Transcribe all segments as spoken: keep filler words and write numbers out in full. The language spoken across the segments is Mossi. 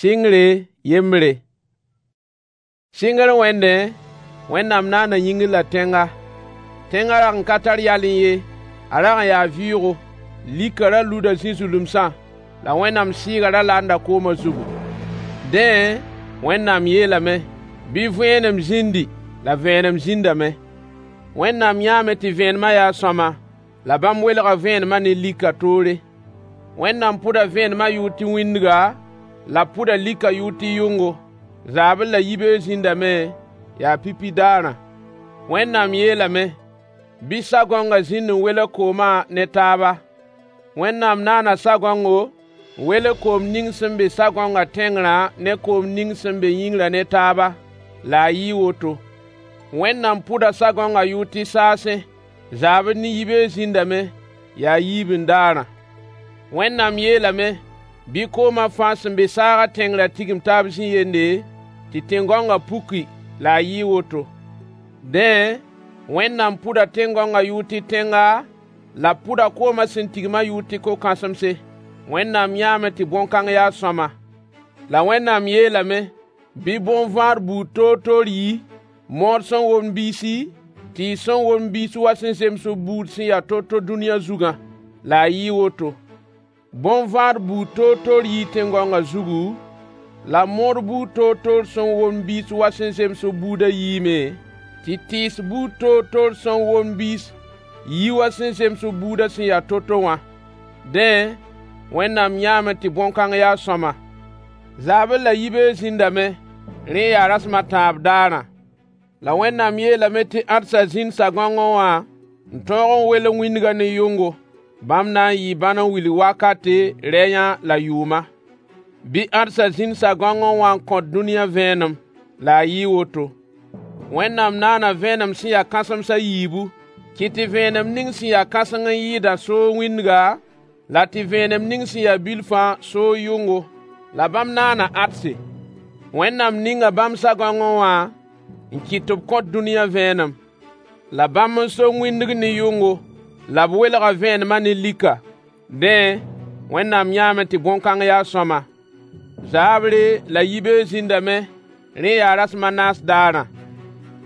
Sɩngre yembre. Sɩngr wẽndẽ, Wẽnnaam naana yĩngr la tẽnga. Tẽngã rag n ka tar yalẽ ye, a rag n yaa vɩʋʋgo. Likã ra luda zĩ-zulumsã, la Wẽnnaam Sɩɩgã ra laanda koomã zugu. Dẽ, Wẽnnaam yeelame: Bɩ vẽenem zĩndi! La vẽenem zĩndame. Wẽnnaam yãame tɩ vẽenemã yaa sõama, la bãmb welga vẽenemã ne likã toore. Wẽnnaam pʋda vẽenemã yʋʋr tɩ wĩndga, la b pʋda likã yʋʋr tɩ yʋngo. Zaabr la yibeoog zĩndame, yaa pipi daarã. Wẽnnaam yeelame: Bɩ sagõngã zĩnd n welg koomã ne taaba. Wẽnnaam naana sagõngo n welg koom ning sẽn be sagõngã tẽngrã ne koom ning sẽn be yĩngrã ne taaba, la a yɩɩ woto. Wẽnnaam pʋda sagõngã yʋʋr tɩ saasẽ. Zaabr ne yibeoog zĩndame, yaa yiibindaarã. Wẽnnaam yeelame: Bɩ koomã fãa sẽn be saagã tẽngrã tigim taab zĩ-yende, tɩ tẽn-gãongã puki, la a yɩɩ woto. Dẽ, Wẽnnaam pʋda tẽn-gãongã yʋʋr tɩ tẽnga, la b pʋda koomã sẽn tigmã yʋʋr tɩ ko-kãsemse. Wẽnnaam yãame tɩ bõn-kãng yaa sõama. La Wẽnnaam yeelame: Bɩ bõn-vãad buud toor-toor yi, mood sẽn womd biisi, tɩɩs sẽn womd biis wa sẽn zems b buud sẽn ya to-to dũniyã zugã. La a yɩɩ woto. Bõn-vãad buud toor-toor yii tẽn-gãongã zugu, la mood buud toor-toor sẽn womd biis wa sẽn zems b buudã yiime, tɩ tɩɩs buud toor-toor sẽn womd biis yi wa sẽn zems b buudã sẽn ya to-to wã. Dẽ, Wẽnnaam yãame tɩ bõn-kãng yaa sõama. Zaabr la yibeoog zĩndame, rẽ yaa rasem a tãab daarã. La Wẽnnaam yeelame tɩ ãdsa zĩnd sagõngẽ wã n tõog n welg wĩndgã ne yʋngo. Bãmb na n yɩɩ bãn n wilg wakate, rɛyã la yʋʋma. Bɩ ãdsa zĩnd sagõngẽ wã n kõt dũniyã vẽenem. La a yɩɩ woto. Wẽnnaam naana vẽenem sẽn ya kãsems a yiibu: Kɩt tɩ vẽenem ning sẽn ya kãseng n yɩɩda soog wĩndga, la tɩ vẽenem ning sẽn ya bilfã soog yʋngo. La bãmb naana ãdse. Wẽnnaam ninga bãmb sagõngẽ wã n kɩt tɩ b kõt dũniyã vẽenem. La bãmb n so wĩndg ne yʋngo, la b welga vẽenemã ne lika. Dẽ, Wẽnnaam yãame tɩ bõn-kãng yaa sõama. Zaabre la yibeoog zĩndame, rẽ yaa rasem a naas daarã.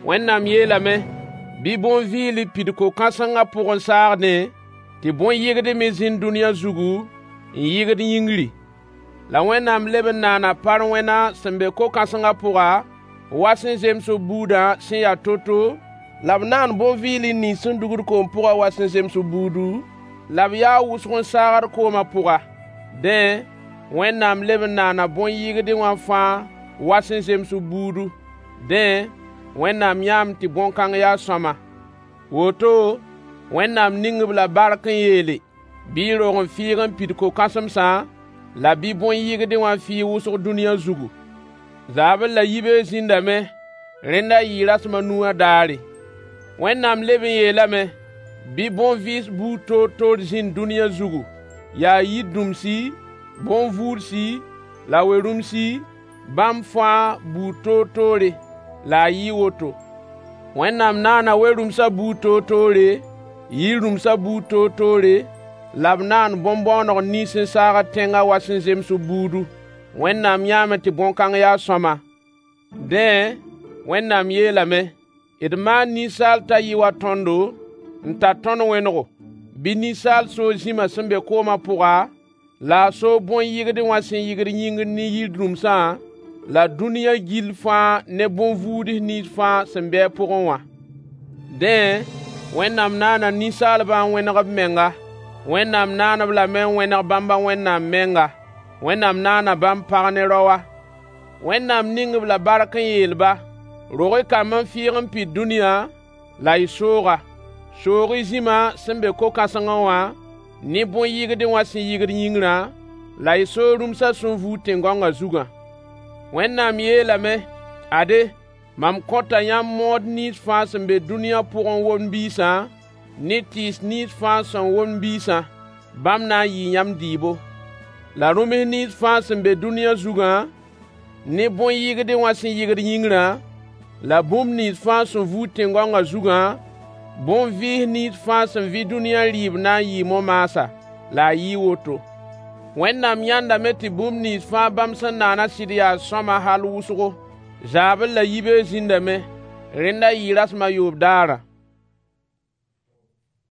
Wẽnnaam yeelame: Bɩ bõn-vɩɩl pid ko-kãsengã pʋgẽ saagdẽ, tɩ bõn-yɩgd me zĩnd dũniyã zugu n yɩgd yĩngri. La Wẽnnaam leb n naana parwẽna sẽn be ko-kãsengã pʋga, wa sẽn zems b buudã sẽn ya to-to, la b naan bõn-vɩɩl nins sẽn dugd koom pʋgã wa sẽn zems b buudu, la b yaa wʋsg n saagd koomã pʋga. Dẽ, Wẽnnaam leb n naana bõn-yɩgdẽ wã fãa wa sẽn zems b buudu. Dẽ, Wẽnnaam yãame tɩ bõn-kãng yaa sõama. Woto, Wẽnnaam ning-b la bark n yeele: Bɩ y roog n fɩɩg n pid ko-kãsemsã, la bɩ bõn-yɩgdẽ wã fɩɩg wʋsg dũniyã zugu. Zaabr la yibeoog zĩndame, rẽnda yɩɩ rasem a nu wã daare. Wẽnnaam leb n yeelame: Bɩ bõn-vɩɩs buud toor-toor zĩnd dũniyã zugu, yaa yir-dũmsi, bõn-vuudsi la we-rũmsi, bãmb fãa buud toor-toore. La a yɩɩ woto. Wẽnnaam naana we-rũmsã buud toor-toore, yir-rũmsã buud toor-toore, la b naan bõn-bõoneg nins sẽn saagd tẽngã wa sẽn zems b buudu. Wẽnnaam yãame tɩ bõn-kãng yaa sõama. Dẽ, Wẽnnaam yeelame: D maan ninsaal t'a yɩ wa tõndo, n tar tõnd wẽnego. Bɩ ninsaal soog zĩma sẽn be koomã pʋga, la a soog bõn-yɩgdẽ wã sẽn yɩgd yĩngr ne yir-dũmsã, la dũniyã gill fãa ne bõn-vuuds nins fãa sẽn be a pʋgẽ wã. Dẽ, Wẽnnaam naana ninsaalbã n wẽneg b menga. Wẽnnaam naan-b lame n wẽneg bãmb a Wẽnnaam menga. Wẽnnaam naana bãmb pag ne raoa. Wẽnnaam ning-b la bark n yeel-ba: Rog-y kamb n fɩɩg n pid dũniyã, la y soog-a. Soog-y zĩma sẽn be ko-kãsengẽ wã, ne bõn-yɩgdẽ wã sẽn yɩgd yĩngrã, la y soog rũmsã sẽn vuud tẽn-gãongã zugã. Wẽnnaam yeelame: Ade, mam kõta yãmb mood nins fãa sẽn be dũniyã pʋgẽ n womd biisã, ne tɩɩs nins fãa sẽn womd biisã. Bãmb na n yɩɩ yãmb dɩɩbo. La rũms nins fãa sẽn be dũniyã zugã, ne bõn-yɩgdẽ wã sẽn yɩgd yĩngrã, la bũmb nins fãa sẽn vuud tẽn-gãongã zugã, bõn-vɩɩs nins fãa sẽn vɩ dũniyã rɩɩb na n yɩɩ mo-maasa. La a yɩɩ woto. Wẽnnaam yãendame tɩ bũmb nins fãa bãmb sẽn naana sɩd yaa sõama hal wʋsgo. Zaabr la yibeoog zĩndame. Rẽnda yɩɩ rasem a yoob daarã.